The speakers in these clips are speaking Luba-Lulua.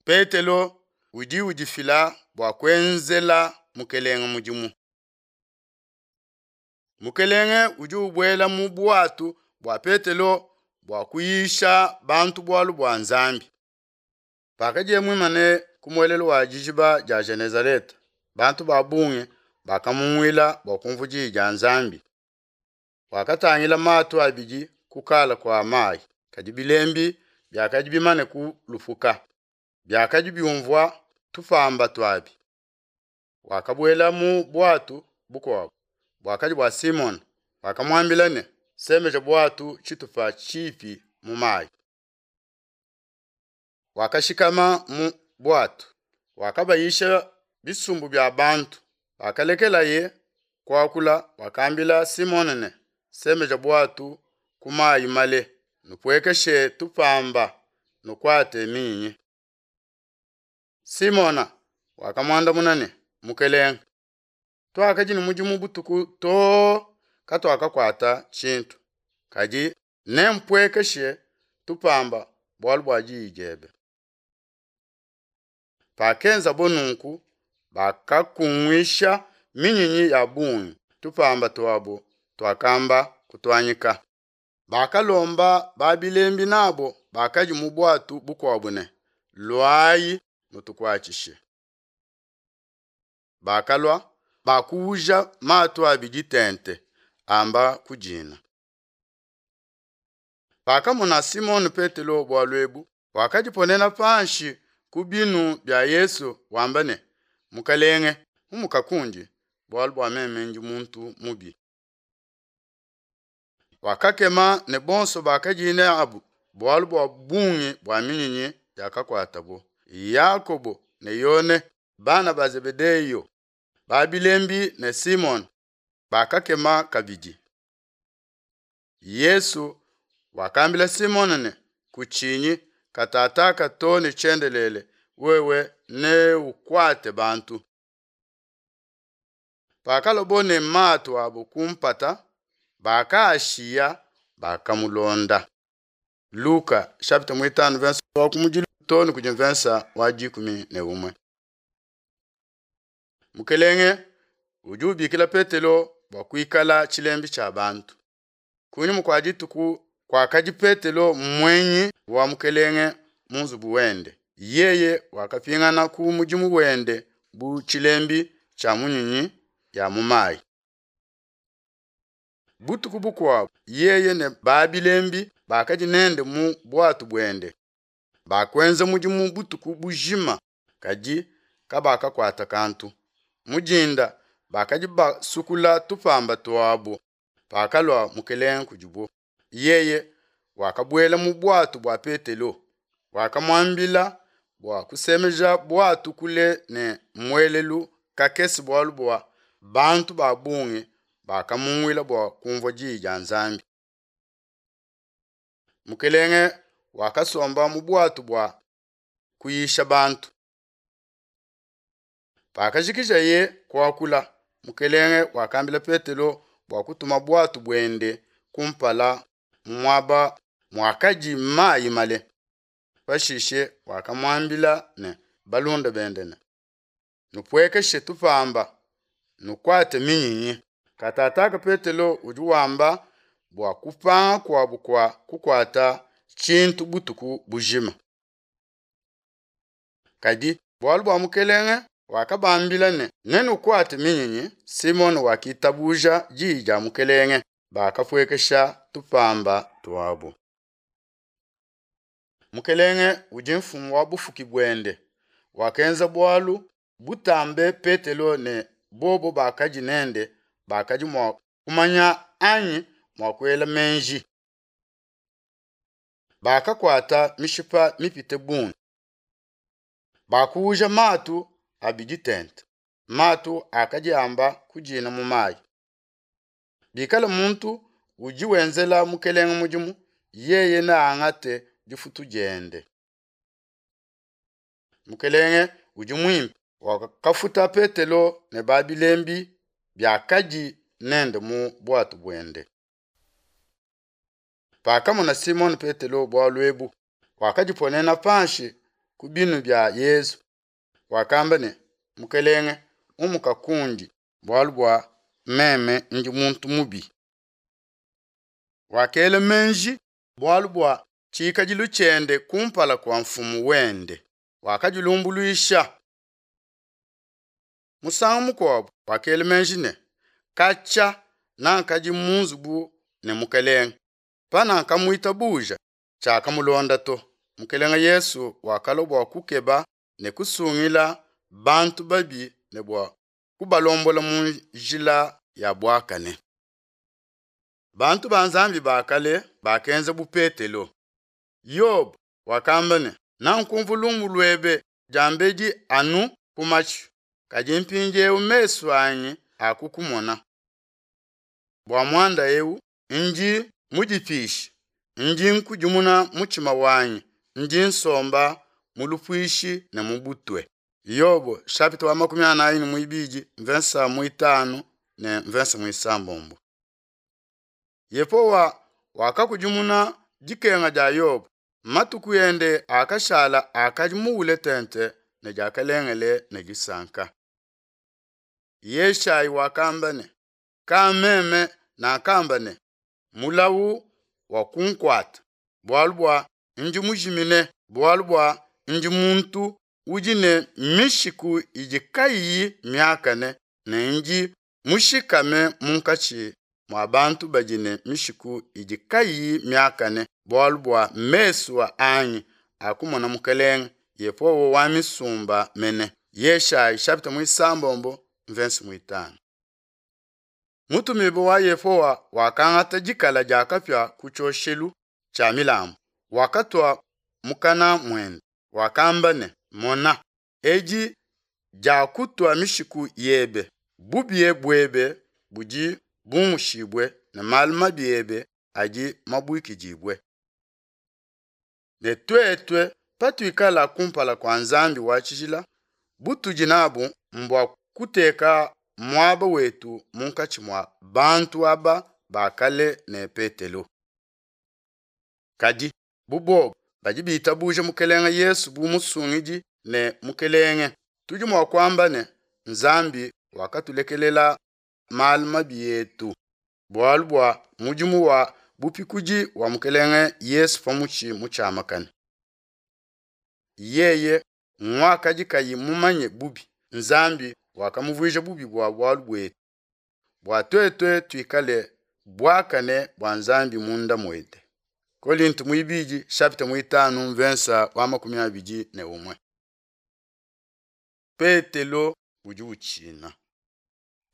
Petelo udi udifila bua kuenzela Mukelenge mudimu. Mukelenge udi ubuela mu buatu bua Petelo bua kuyisha bantu bualu bua Nzambi. Pakadiye muimane ku muelelu wa dijiba dia Genezaleta, bantu ba bungi bakamunguila bua kumvua diyi dia Nzambi. Wakatangila matu abidi ku kala kua mayi, kadi bilembi biakadi bimane kulupuka, biakadi biumvua tupamba tuabi. Wakabuela mu buatu bukuabu buakadi bua Simone, wakamuambila ne, semeja buatu tshitupa tshipi mu mayi. Wakashikama mu buatu, wakabayisha bisumbu bia bantu. Pakalekelaye kuakula, wakambila Simone ne, semeja buatu ku mayi male, nupuekeshe tupamba, nukuate minyinyi. Simona wakamuandamuna ne, Mukelenge, tuakadi ne mudimu butuku too katuakakuata tshintu, kadi nempuekeshe tupamba bualu bua diyi diebe. Pakenzabo nunku, bakakunguisha minyinyi ya bungi, tupamba tuabo tuakamba kutuanyika. Bakalomba ba bilembi nabo bakadi mu buatu bukuabo ne, Luayi nutukuatshishe. Bakalua, bakuuja matu abidi tente, amba kudina. Pakamona Simone Petelo bualu ebu, wakadiponena panshi ku binu bia Yesu wamba ne, Mukelenge, umuka kundi, bualu bua meme ndi muntu mubi. Wakakema ne bonso bakadi nabu bualu bua bungi bua minyinyi yakakuatabo. Yakobo ne Yone, bana ba Zebedeyo, ba bilembi ne Simone, bakakema kabidi. Yesu wakambila Simone ne, kutshinyi, katataka too ne tshiendelele, wewe neukuate bantu. Pakalobo ne matu abo ku mpata, bakaashiya, bakamulonda. Luka chapitre 5 verset wa kumudilu too ne kudi mvensa wa 11. Mukelenge udi ubikila Petelo bua kuikala tshilembi tshia bantu. Kunyima kua dituku kuakadi Petelo muenyi wa Mukelenge mu nzubu wende, yeye wakapingana ku mudimu wende bu tshilembi tshia munyinyi ya mu mayi. Butuku bukuabu yeye ne ba bilembi bakadi nende mu buatu buende bakuenza mudimu butuku bujima, kadi kabakakuata kantu. Mu dinda bakadi basukula tupamba tuabu pakalua Mukelenge kudibo. Yeye wakabuela mu buatu bua Petelo, wakamuambila bua kusemeja buatu kule ne muelelu kakese bualu bua bantu ba bungi bakamunguila bua kumvua diyi dia Nzambi. Mukelenge wakasomba mu buatu bua kuyisha bantu. Pakajikijaye kuakula, Mukelenge wakambila Petelo bua kutuma buatu buende kumpala mu muaba muakadi mayi male. Pashishe wakamuambila ne balunda bende ne, nupuekeshe tupamba, nukuate minyinyi. Katataka Petelo udi wamba bua kupanga kuabu kua kukuata tshintu butuku bujima. Kadi bualu bua Mukelenge wakabambila ne, nenukuate minyinyi. Simone wakitabuja diyi dia Mukelenge, bakapuekesha tupamba tuabu. Mukelenge udi mfumu wa bufuki buende, wakenza bualu butambe Petelo ne bobo bakadi nende bakadi mua kumanya anyi mua kuela meji. Bakakuata mishipa mipite bungi, bakuuja matu abidi tente, matu akadi amba kudina mu mayi. Bikala muntu udi wenzela Mukelenge mudimu, yeye neangate difutu diende. Mukelenge udi muimpe, wakafuta Petelo ne ba bilembi biakadi nende mu buatu buende. Pakamona Simone Petelo bualu ebu, wakadiponena panshi ku binu bia Yesu, wakamba ne, Mukelenge, umuka kundi, bualu bua meme ndi muntu mubi. Wakela meji bualu bua tshikadilu tshiende kumpala kua Mfumu wende, wakadilumbuluisha. Musangu mukuabo wakela meji ne, Katshia nakadi mu nzubu ne Mukelenge, panakamuitabuja, tshiakamulonda to. Mukelenge Yesu wakalua bua kukeba ne kusungila bantu babi ne bua kubalombola mu njila ya buakane. Bantu ba Nzambi ba kale bakenza bu Petelo. Yobo wakamba ne, Nankumvua lumu luebe diambedi anu ku matshi, kadi mpindieu mesu anyi akukumona. Bua muanda eu ndi mudipishe, ndi nkudimuna mutshima wanyi, ndi nsomba mu lupuishi ne mu butue. Yobo chapitre wa 42 mvensa muitanu ne mvensa muisambombo. Yehowa wakakudimuna dikenga dia Yobo, matuku ende akashala akadi muwule tente ne diakalengele ne disanka. Yeshayi wakamba ne, Ka meme nakamba ne, mulawu wakunkuata, bualu bua ndi mujimine, bualu bua ndi muntu udi ne mishiku idi kayiyi miakane, ne ndi mushikame munkatshi mua bantu badi ne mishiku idi kayiyi miakane, bualu bua mesu anyi akumona Mukelenge, Yehowa wa misumba mene. Yeshayi chapitre muisambombo mvensi muitanu. Mutumibue wa Yehowa wakangata dikala dia kapia ku tshioshelu tshia milambu, wakatua mukana muende, wakamba ne, Mona, edi diakutua mishiku yebe, bubi buebe budi bumushibue ne malu mabi ebe adi mabuikidibue. Ne tuetu patuikala kumpala kua Nzambi wa tshijila, butudi nabu mbua kuteka muaba wetu munkatshi mua bantu aba ba kale ne Petelo. Kadi bu bobu badi bitabuja Mukelenge Yesu bu Musungidi ne Mukelenge, tudi mua kuamba ne, Nzambi wakatulekelela malu mabi etu bualu bua mudimu wa bupikudi wa Mukelenge Yesu pa mutshi mutshiamakane. Yeye nguakadi kayi mumanye bubi, Nzambi wakamuvuija bubi bua bualu buetu, bua tuetu tuikale buakane bua Nzambi munda muende. Kolinto muibidi chapitre muitanu mvensa wa 21. Petelo udi utshina.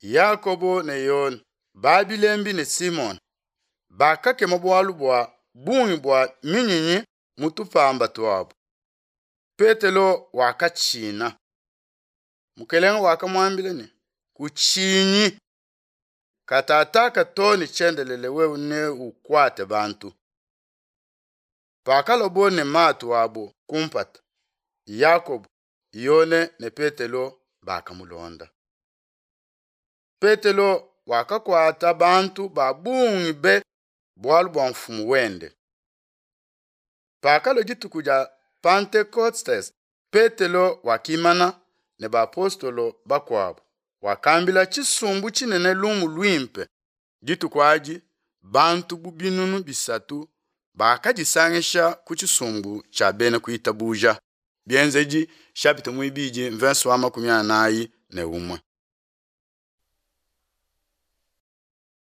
Yakobo ne Yone, Babilembi ne Simone bakakema bualu bua bungi bua minyinyi mu tupamba tuabu. Petelo wakatshina. Mukelenge wakamuambila ne, Kutshinyi, katataka to ne tshiendelele wewe neukuate bantu. Pakalobo ne matu abo kumpata, Yakobo, Yone ne Petelo bakamulonda. Petelo wakakuata bantu ba bungi be bualu bua mfumu wende. Pakalua dituku dia Pentekostes, Petelo wakimana ne bapostolo bakuabu, wakambila tshisumbu tshinene lumu luimpe. Dituku adi bantu bu 300 bakadisangisha ku tshisumbu tshia bena kuitabuja. Bienzedi chapitre muibidi verse wa 41.